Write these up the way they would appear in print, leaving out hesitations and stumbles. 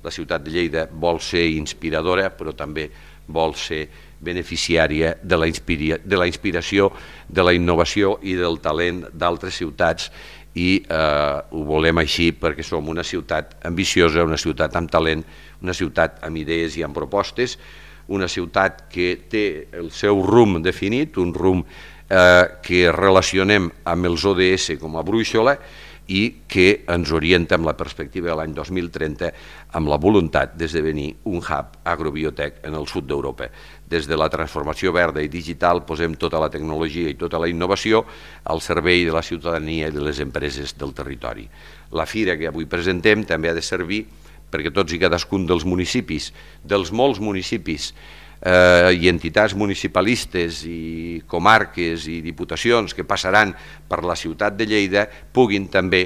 La ciutat de Lleida vol ser inspiradora, però també vol ser beneficiària de la inspiració, de la innovació i del talent d'altres ciutats, i ho volem així perquè som una ciutat ambiciosa, una ciutat amb talent, una ciutat amb idees i amb propostes, una ciutat que té el seu rumb definit, un rumb que relacionem amb els ODS com a brúixola i que ens orienta amb la perspectiva de l'any 2030 amb la voluntat d'esdevenir un hub agrobiotec en el sud d'Europa. Des de la transformació verda i digital posem tota la tecnologia i tota la innovació al servei de la ciutadania i de les empreses del territori. La fira que avui presentem també ha de servir perquè tots i cadascun dels municipis, dels molts municipis i entitats municipalistes i comarques i diputacions que passaran per la ciutat de Lleida puguin també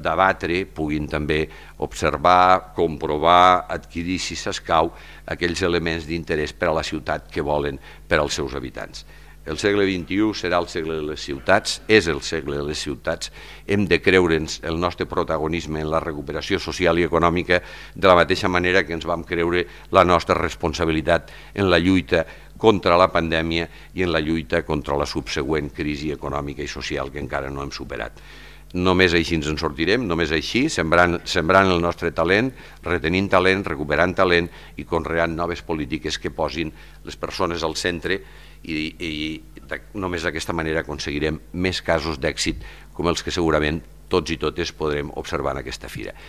debatre, puguin també observar, comprovar, adquirir, si s'escau, aquells elements d'interès per a la ciutat que volen per als seus habitants. El segle XXI serà el segle de les ciutats, és el segle de les ciutats. Hem de creure'ns el nostre protagonisme en la recuperació social i econòmica de la mateixa manera que ens vam creure la nostra responsabilitat en la lluita contra la pandèmia i en la lluita contra la subsegüent crisi econòmica i social que encara no hem superat. Només així ens en sortirem, només així, sembrant el nostre talent, retenint talent, recuperant talent i conreant noves polítiques que posin les persones al centre, i només d'aquesta manera aconseguirem més casos d'èxit com els que segurament tots i totes podrem observar en aquesta fira.